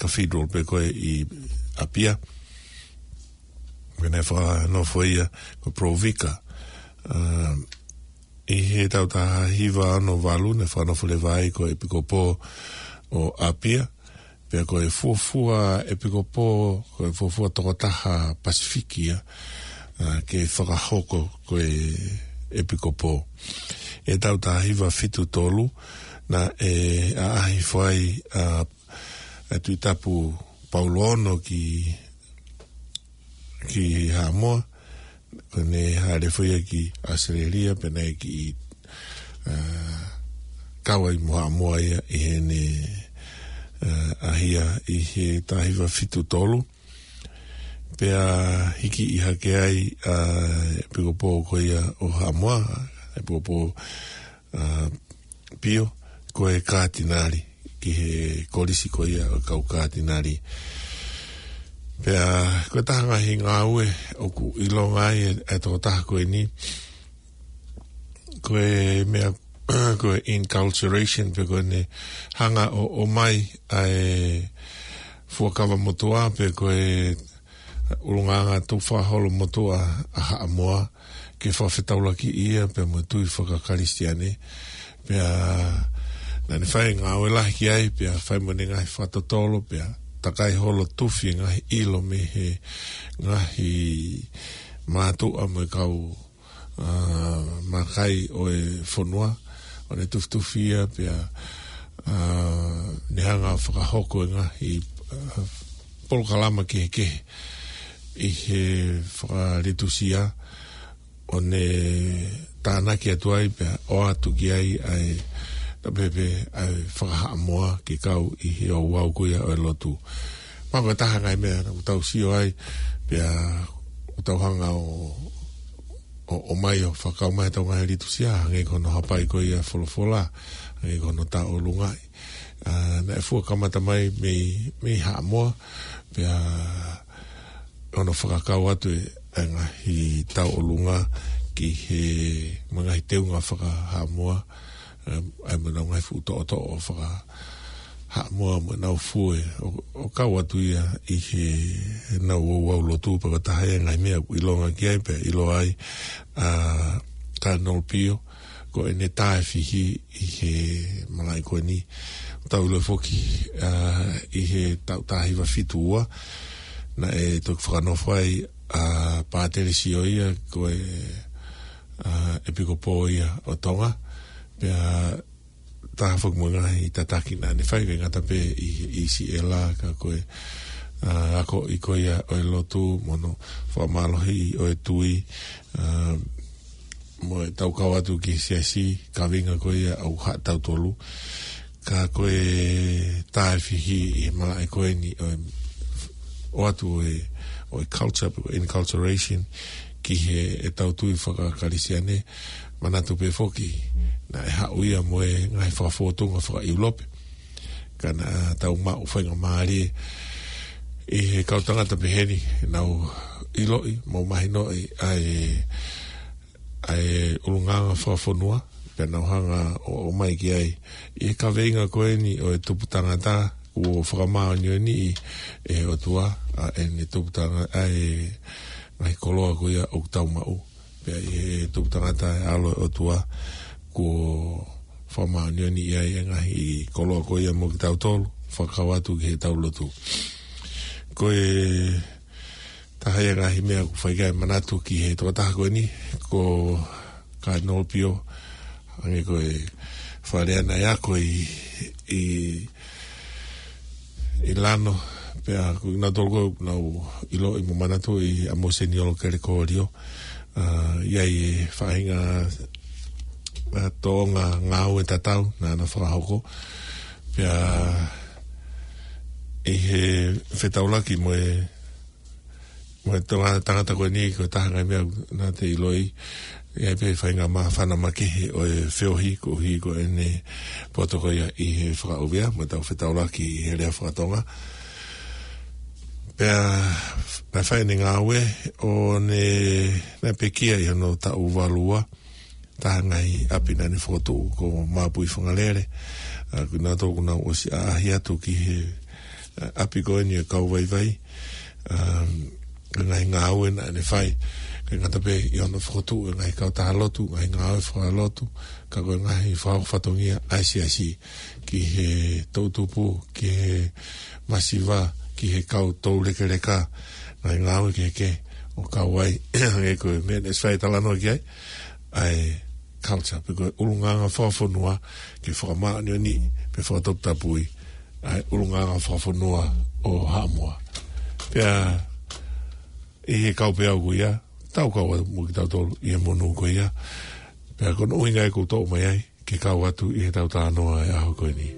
Cathedral pē ko ē ʻi ʻApia. Pea naʻe fakanofo ia ko e Pro Vicar. Ā, ʻi he tau taha hiva ono valu naʻe fakanofo leva ai ko e ʻEpikopō ʻo ʻApia. Pea ko e fuofua ʻepikopō, ko e fuofua tokotaha Pasifiki ia, ā, ke fakahoko ko e ʻepikopō. ʻI he tau taha hiva fitu tolu, naʻe ʻaʻahi hifo ai, ā, ʻa e Tuʻi Tapu Paulo Ono ki ki Haʻamoa, pea ne hāʻele hifo ia ki ʻAositelēlia, pea naʻe kiʻi, ā, kau ai mo Haʻamoa ia ʻi heʻene, ā, ʻaʻahi ʻi he taha hiva fitu tolu. Pea hiki ʻi hake ai, ā, ʻEpikopō ko ia ʻo Haʻamoa, ʻEpikopō, ā, Pio, ko e Katinali, ki he Kolisi ko ia ʻo e kau Katinali. Pea ko e taha ngaahi ngāue ʻoku ʻilonga ai e, e tokotaha ko eni, ko e meʻa, ko e inculturation, pe ko ʻene hanga ʻo, ʻomai ʻa e fuakava motuʻa, pe ko e ʻulungaanga tukufakaholo motuʻa ʻa Haʻamoa, ke fakafetaulaki ia pea mo e tui fakakalisitiane. Pea naʻa ne fai ngāue lahi ki ai, pea fai mo ʻene ngaahi fakatotolo, pea takai holo tufi e ngaahi ʻilo mei he ngaahi mātuʻa mo e kau, ā, makai ʻo e fonua, ʻo ne tufitufi ia, pea, ā, ne hanga fakahoko e ngaahi, ā, polokalama kehekehe ʻi he fakalitusia, ʻo ne tānaki atu ai pea ʻoatu ki ai ʻa e, tapepe ʻa e fakahaʻamoa ke kau ʻi he ouau ko ia ʻo e lotu. Pea ko e taha ngaahi meʻa naʻa tau sio ai, pea ʻoku tau hanga ʻo, ʻo, ʻomai ʻo fakakau mai ʻetau ngaahi litusia, hangē ko hono hapai ko ia folofola, hangē ko hono tauʻolungaʻi. Ā, naʻe fua kamata mai mei, mei Haʻamoa, pea ʻoku ne fakakau atu e, e ngaahi tauʻolunga ki he, mo e ngaahi teunga fakahaʻamoa, ē, ʻa e mo ʻenau ngaahi fuʻu toʻotoʻo fakahaʻamoa mo ʻenau fue, ʻo, ʻo kau atu ia ʻi he, heʻenau ouau lotu. Pea ko e taha e ngaahi meʻa ʻoku ʻilonga ki ai, pea ʻiloa ai ʻa Cardinal Pio, ko ʻene taʻefihi ʻi he malaʻe ko eni. Tau ʻilo foki, ā, ʻi he taʻu taha hiva fitu ua, naʻe toki fakanofo ai ʻa Pātele Sioia, ko e, ā, ʻEpikopō ia ʻo Tonga. Pea taha foki mo e ngaahi tataki naʻa ne fai, ʻikai ngata pē ʻi, ʻi siʻela, ka ko e, ā, akoʻi ko ia ʻo e lotu, mo hono fakamālohiʻi ʻo e tui, ā, mo ʻetau kau atu ki he siasi, kaveinga ko ia ʻoku haʻa tautolu. Ka ko e taefihi ʻi he malaʻe ko eni ʻo e, ʻoatu ʻo e, ʻo e culture, pe ko e enculturation, ki he, ʻetau tui faka-Kalisitiane, manatu pē foki, naʻe haʻu ia mo e ngaahi fakafōtunga faka-ʻIulope. Ka naʻa tau maʻu faingamālie ʻi he kau tangata peheni, nau ʻiloʻi, mo mahinoʻi, ʻa e, ʻa e ʻulungaanga fakafonua, pea nau hanga ʻo, ʻomai ki ai. ʻI he kaveinga ko eni ʻo e tupu tangata, kuo fakamāʻoniʻoniʻi ʻe he ʻOtua, ʻa ʻene tupu tangata, ʻa e ngaahi koloa ko ia ʻoku tau maʻu. Pea ʻi he tupu tangata ʻa e ʻAlo ʻo e ʻOtua, kuo fakamāʻoniʻoniʻi ai e ngaahi koloa ko ia mo kitautolu, fakakau atu ki heʻetau lotu. Ko e taha ia e ngaahi meʻa ʻoku fai ki ai e manatu ki he tokotaha ko eni, ko Kainolo Pio, hangē ko e fale ʻana ʻe ako ʻi, ʻi, ʻi Lano, pea ko kinautolu ko ē ʻoku nau ʻiloʻi mo manatuʻi ʻa Mōseniolo Kelekōlio, ʻa, ʻi ai e faʻahinga, ʻa, tōʻonga ngāue tatau naʻa na fakahoko, pea ʻi he fetaulaki mo e, mo e tonga tangata ko eni, ko e taha e ngaahi meʻa naʻa te ʻiloʻi, ʻi ai pē faʻahinga māfana makehe ʻo e feohi, koeʻuhi ko ʻene poto ko ia ʻi he fakaʻuvea, mo ʻetau fetaulaki ʻi he lea faka-Tonga. Pea naʻe fai ʻene ngāue ʻo ne, naʻe pekia ʻi hono taʻu valu ua, taha e ngaahi ʻapi naʻa ne fokotuʻu ko Mapuifangalele. ʻA, ko kinautolu ʻoku nau ʻosi ʻaʻahi atu ki he, ʻa, ʻapi ko eni ʻo e kau vaivai. ʻA, ko e ngaahi ngāue naʻa ne fai. ʻIkai ngata pē ʻi hono fokotuʻu e ngaahi kautaha lotu, ngaahi ngāue fakalotu, ka ko e ngaahi fakahoko fatongia ʻa e siasi ki he toʻutupu, ki he masiva, ki he kau toulekeleka, ngaahi ngāue kehekehe ʻo kau ai, hangē ko e meʻa naʻe ʻosi fai e talanoa ki ai, ʻa e culture, pe ko e ʻulungaanga fakafonua, ke fakamāʻoniʻoniʻi, pe fakatoputapui ʻa e ʻulungaanga fakafonua ʻo Haʻamoa. Pea ʻi he kau pē au ko ia, tau kau atu mo kitautolu ʻi he monū ko ia. Pea ko hono ʻuhinga ia ʻoku ou toʻo mai ai, ke kau atu ʻi heʻetau talanoa ʻi he ʻaho ko eni.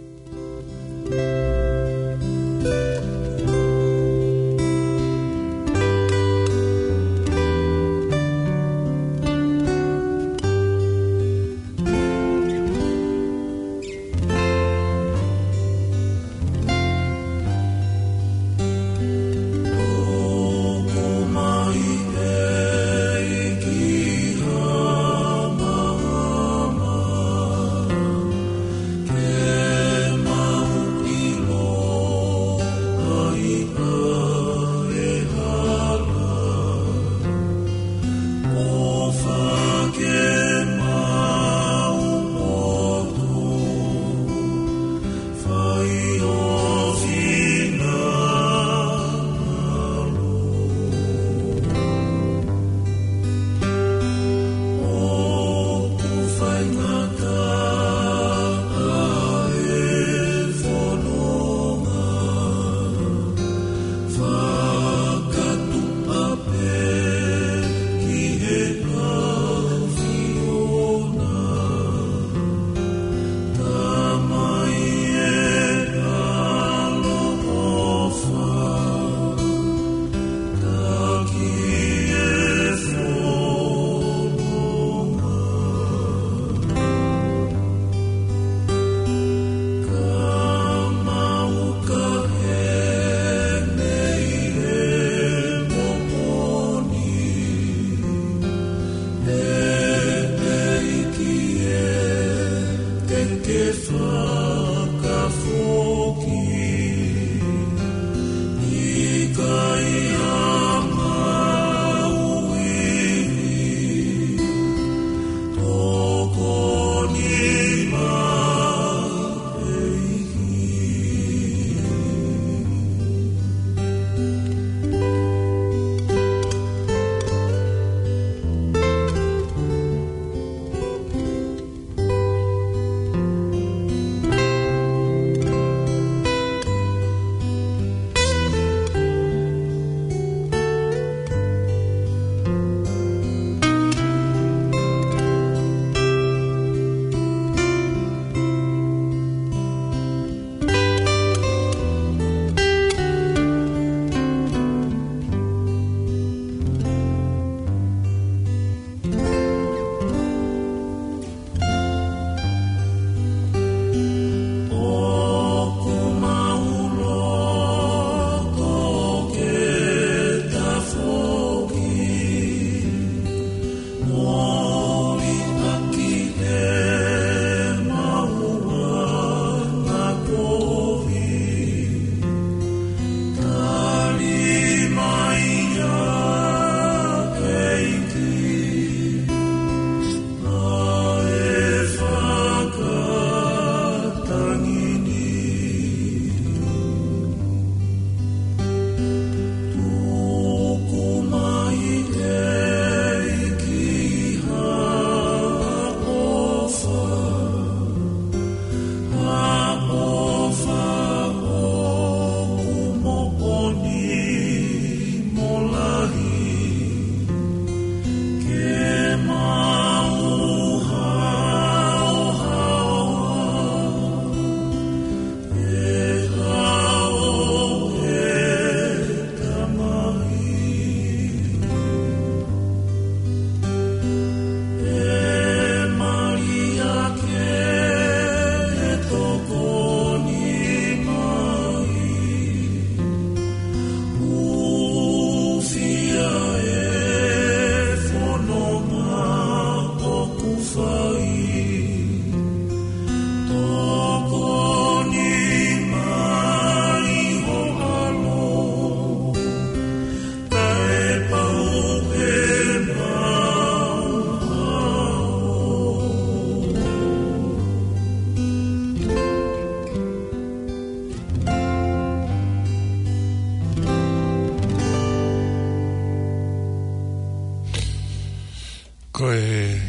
Ko e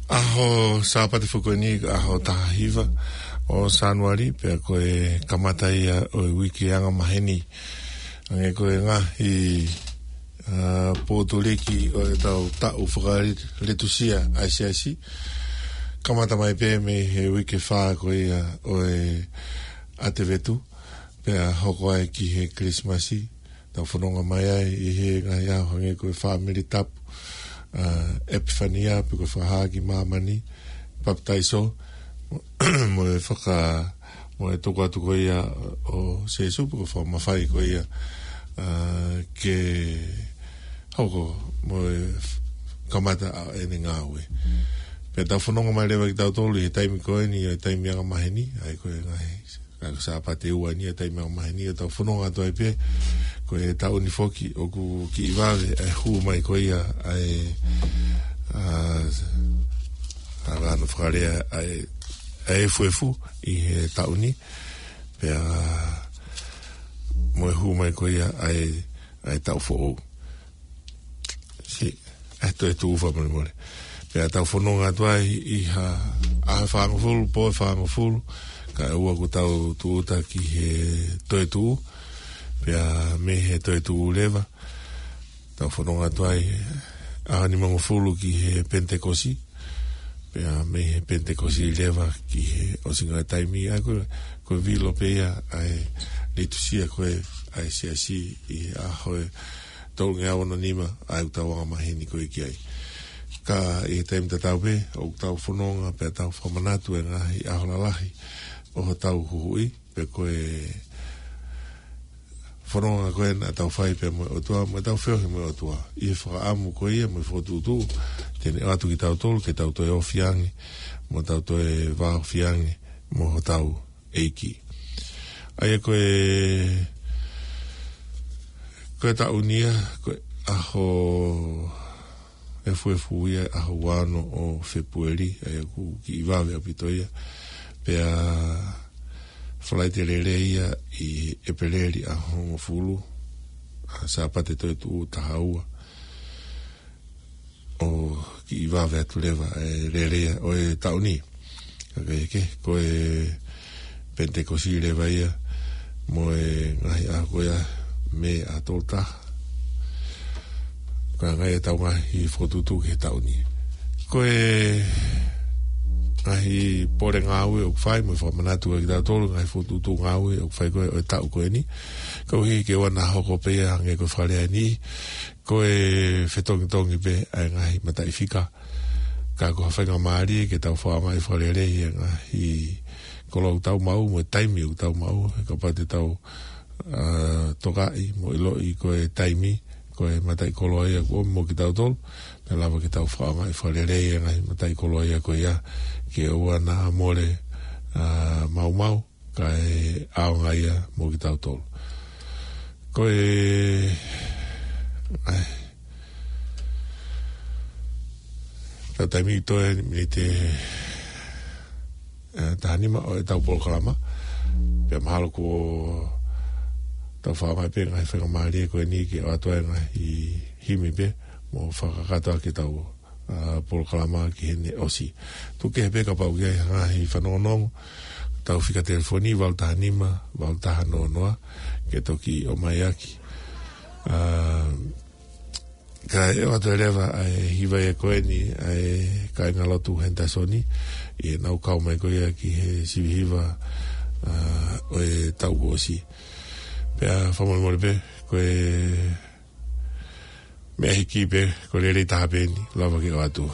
ʻaho Sāpate foki ko eni, ʻaho taha hiva ʻo Sānuali, pea ko e kamata ia ʻo e uike angamaheni. Hangē ko e ngaahi, ā, pōtuliki ʻo e tau taʻu fakalitusia ʻa e siasi. Kamata mai pē mei he uike fā ko ia ʻo e ʻAtevetu, pea hoko ai ki he Kilisimasi, tau fononga mai ai ʻi he ngaahi ʻaho hangē ko e fāmili tapu, ā, ʻEpifania, pe ko e fakahā ki māmani, papitaiso, mo e faka-, mo e tuku atu ko ia ʻo Sēsū, pe ko e fakamafai ko ia, ā, ke hoko mo e f-, kamata ʻa ʻene ngāue. Pea tau fononga mai leva kitautolu ʻi he taimi ko eni, ʻo e taimi angamaheni, ʻa ia ko e ngaahi, ʻa ia ko e Sāpate ua eni ʻo e taimi angamaheni, ʻo tau fononga atu ai pē, ko e taʻu ni foki, ʻoku kiʻi vave ʻa e hū mai ko ia ʻa e, ā, ʻa e ʻano fakalea ʻa e, ʻa e efuefu ʻi he taʻu ni, pea mo e hū mai ko ia ʻa e, ʻa e taʻu foʻou. Siʻi, ʻa e toetuʻu fakamolemole. Pea tau fononga atu ai ʻi ha ʻaho ʻe fāngofulu, pō ʻe fāngofulu, kae ʻoua kuo tau tūʻuta ki he toetuʻu, pea mei he toetuʻu leva, tau fononga atu ai ʻaho nimangofulu ki he Penitekosi, pea mei he Penitekosi leva ki he ʻosinga taimi, ʻa ia ko e, ko e vilo pē ia ʻa e litusia ko ē ʻa e siasi ʻi he ʻaho ʻe tolungeau ono nima ʻa ʻetau angamaheni ko ē ki ai. Ka ʻi he taimi tatau pē, ʻoku tau fononga pea tau fakamanatu e ngaahi ʻaho lalahi ʻo hotau huhuʻi, pe ko e fononga ko ē naʻa tau fai pea mo e ʻOtua, mo ʻetau feohi mo e ʻOtua. ʻI he fakaʻamu ko ia mo e fokotuʻutuʻu, te ne ʻoatu kitautolu ke tau toe ofi ange, mo tau toe vāofi ange mo hotau ʻEiki. ʻA ia ko e, ko e taʻu ni ia, ko e ʻaho efuefu ia, ʻaho ua ono ʻo Fēpueli, ʻa ia ʻoku kiʻi vave ʻaupito ia. Pea Falaite Lelei ia ʻi ʻEpeleli ʻaho hongofulu, ʻa Sāpate Toetuʻu taha ua. ʻO kiʻi vave atu leva e lele ia ʻo e taʻu ni. Ka ke, ke, ko e Penitekosi leva ia, mo e ngaahi ʻaho ko ia Mē ʻaho tolu taha. Ko e ngaahi ʻetau ngaahi fokotuʻutuʻu ki he taʻu ni. Ko e ngaahi pole ngāue ʻoku fai, mo e fakamanatu ʻa kitautolu, ngaahi fokotuʻutuʻu ngāue ʻoku fai ko ē ʻo e taʻu ko eni. Koeʻuhi ke ʻoua naʻa hoko pē ia hangē ko e fakalea ni, ko e fetongitongi pē ʻa e ngaahi mataʻifika. Ka ko ha faingamālie ke tau fakaʻaongaʻi fakalelei e ngaahi koloa ʻoku tau maʻu, mo e taimi ʻoku tau maʻu, he kapau te tau, ā, tokaʻi mo ʻiloʻi ko e taimi, ko e mataʻikoloa ia kuo ʻomi mo kitautolu, pea lava ke tau fakaʻaongaʻi fakalelei e ngaahi mataʻikoloa ia ko ia, ke ʻoua naʻa mole, ā, maumau, kae ʻaonga ia mo kitautolu. Ko e, ʻai, tau taimi toe miniti, ē, taha nima ʻo ʻetau polokalama. Pea mahalo kuo tau fakaʻaongaʻi pē ngaahi faingamālie ko eni ke ʻoatu ai ngaahi himi pē mo fakakakato ʻaki ʻetau ā, polokalama ki heʻene ʻosi. Tuku kehe pē kapau ʻoku ʻi ai ha ngaahi fanongonongo, tau fika telefoni valu taha nima, valu taha noa noa, ke toki ʻomai ʻaki. Ā, kae ʻoatu leva ʻa e hiva ia ko eni ʻa e kāingalotu Henderson, ʻi heʻenau kau mai ko ia ki he sivi hiva, ā, ʻo e taʻu kuo ʻosi. Pea fakamolemole pē, ko e meʻa hiki pē, ko e lele taha pē eni, lava ke ʻoatu.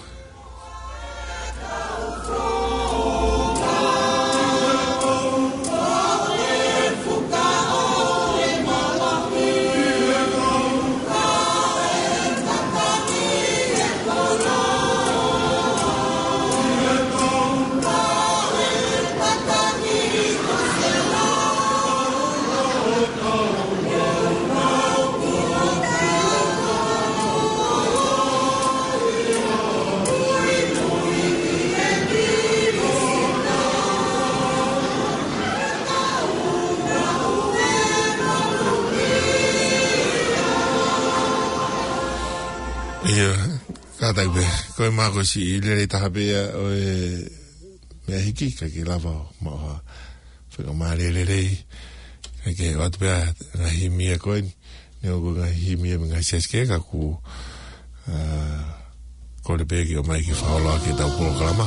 ʻIa, Kātaki pē, ko e mākosi lelei taha pē ia ʻo e meʻa hiki, ka ke lava ʻo maʻu ha faingamālie lelei. Ka ke ʻoatu pē ʻa e ngaahi himi ia ko eni. Neongo ko e ngaahi himi ia mei he ngaahi siasi kehe, ka ʻoku, ā, kole pē ke ʻomai ke fakaholo ʻaki ʻetau polokalama.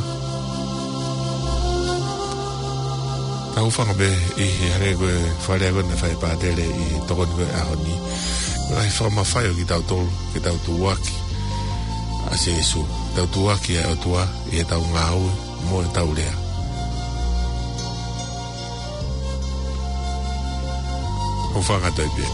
Tau hūfanga pē ʻi he hangē ko e fakalea ko ē naʻe fai ʻe Pātele ʻi he tokoni ko ē ʻaho ni. Ko e ngaahi fakamafai ʻo kitautolu, ke tau tuʻuaki ʻa Sīsū. Tau tuʻuaki ʻa e ʻOtua ʻi heʻetau ngāue mo ʻetau lea. Hūfanga atu pē.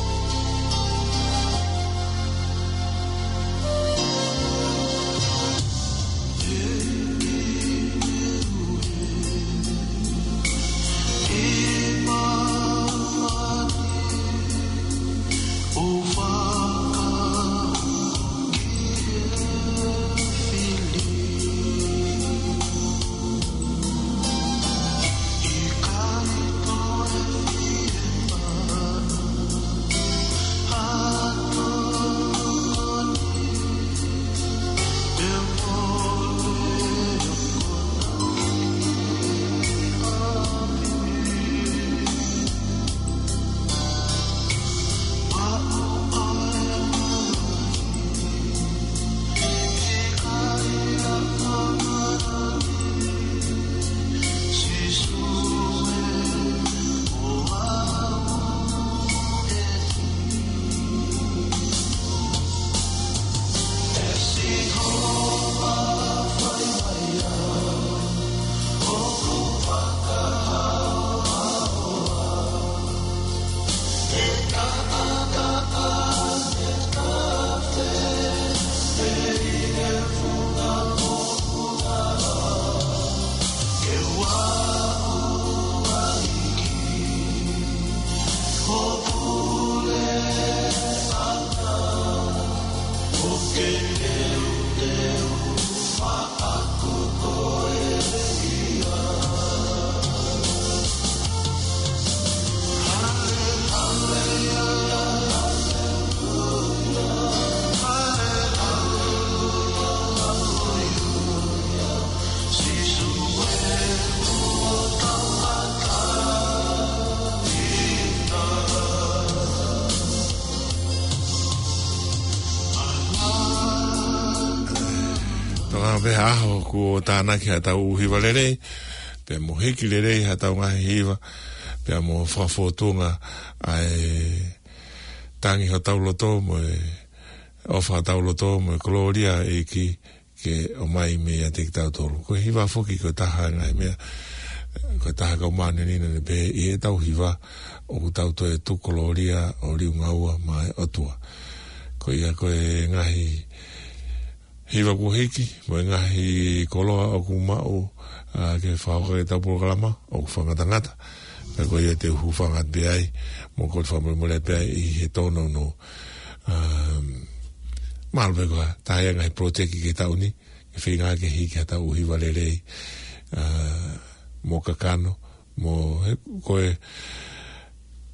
Tokanga pē ha ʻaho kuo tānaki haʻatau ʻū hiva lelei, pea mo hiki lelei haʻatau ngaahi hiva, pea mo fakafōtunga ʻa e tangi hotau loto mo e ʻofa hotau loto mo e kolōlia ʻa e ʻEiki ke ʻomai meiate kitautolu. Ko e hiva foki ko e taha ngaahi meʻa, ko e taha kau mānenina ne pehē ʻi heʻetau hiva ʻoku tau toe tuku kolōlia ʻo liunga ua maʻa e ʻOtua. Ko ia ko e ngaahi hiva kuo hiki, mo e ngaahi koloa ʻoku maʻu, ā, ke fakahoko ʻetau polokalama, ʻoku fakangatangata. Pea ko ia te u hūfanga pē ai, mo kole fakamolemole pē ai ʻi he tōnounou. Ā, mahalo pē ko e taha ia ngaahi project ki he taʻu ni, ke feinga ke hiki haʻatau ʻū hiva lelei, ā, mo kakano, mo he, ko e,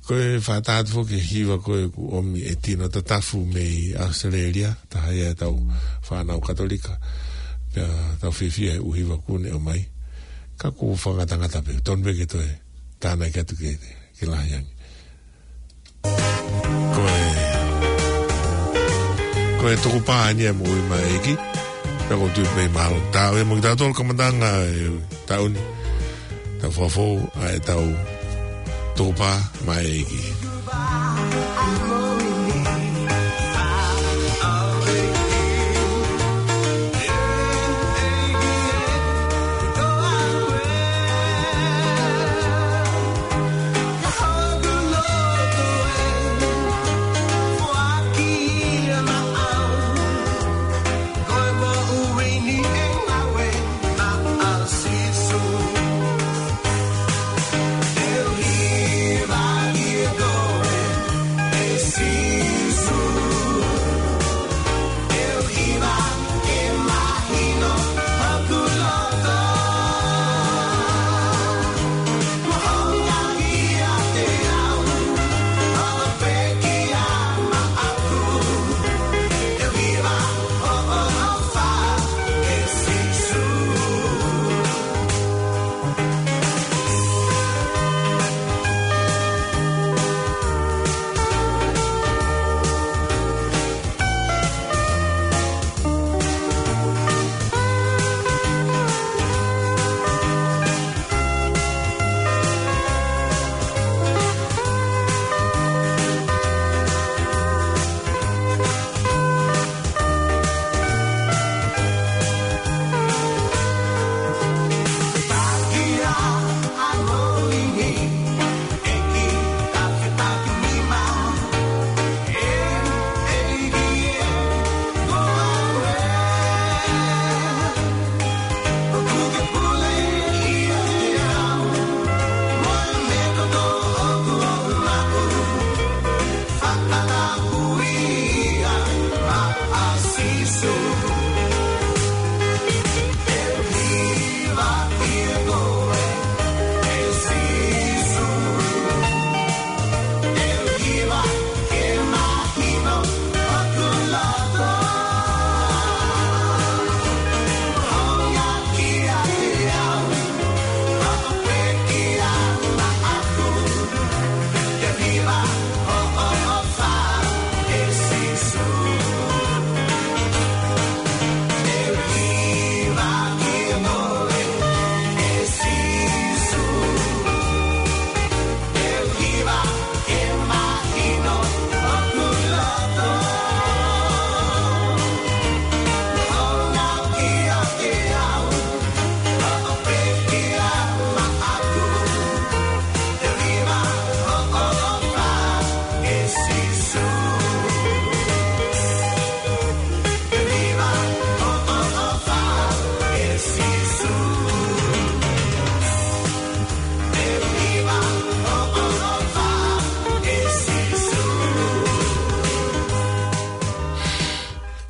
ko e fakatātā atu foki e hiva ko ē kuo ʻomi ʻe Tino Tatafu mei ʻAositelēlia, taha ia ʻetau fānau Katolika, pea tau fiefia he ʻū hiva kuo ne ʻomai. Ka ʻoku fakangatangata pē, tonu pē ke toe tānaki atu ke, ke lahi ange. Ko e, ko e tukupā eni ʻa e Moʻui maʻa e ʻEiki. Pea ʻoku ou tui pē mahalo. Taʻu ē mo kitautolu kamataʻanga e taʻu ni. Tau fakafou ʻa ʻetau tukupā maʻa e ʻEiki.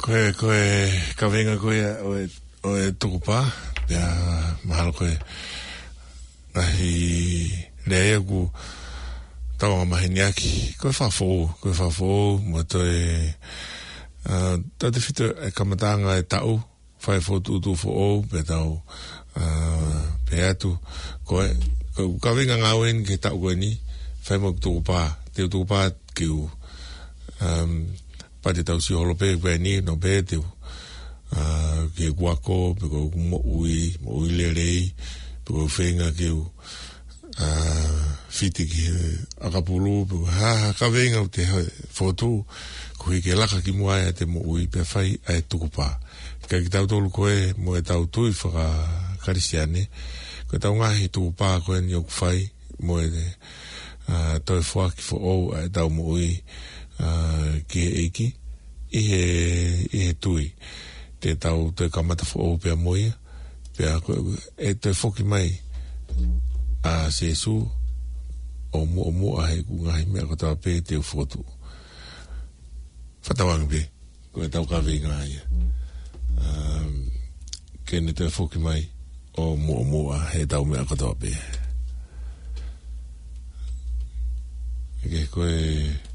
Ko e, ko e kaveinga ko ia ʻo e, ʻo e tukupā, pea mahalo ko e ngaahi lea ia ʻoku tau angamaheni ʻaki. Ko e fakafoʻou, ko e fakafoʻou, mo toe, ā, tautautefito e kamataʻanga e taʻu, fai fokotuʻutuʻu foʻou, pea tau, ā, pehē atu. Ko e, ko e kaveinga ngāue eni ki he taʻu ko eni, fai mo e tukupā, te u tukupā ke u, um, pea te tau sio holo pē pē ni, no pē te u, ā, ke u ako, pe ko e moʻui, moʻui lelei, pe ko e feinga ke u, ā, fiti ki he ʻakapulu, pe ko e hā, hā kaveinga ʻoku te fokotuʻu, koeʻuhi ke laka ki muʻa ʻa e moʻui pea fai ʻa e tukupā. Ka kitautolu ko ē mo ʻetau tui faka-Kalisitiane, ko ʻetau ngaahi tukupā ko eni ʻoku fai, mo e, ā, toe foaki foʻou ʻa ʻetau moʻui, ā, ki he ʻEiki, ʻi he, ʻi he tui, te tau toe kamata foʻou pea mo ia, pea ko e toe foki mai ʻa Sīsū ʻo muʻomuʻa heʻeku ngaahi meʻa kotoa pē te u fokotuʻu. Fakatauange pē, ko ʻetau kaveinga ia. Um, ke ne toe foki mai ʻo muʻomuʻa heʻetau meʻa kotoa pē. Ke ko e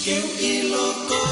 Ke u ʻilo ko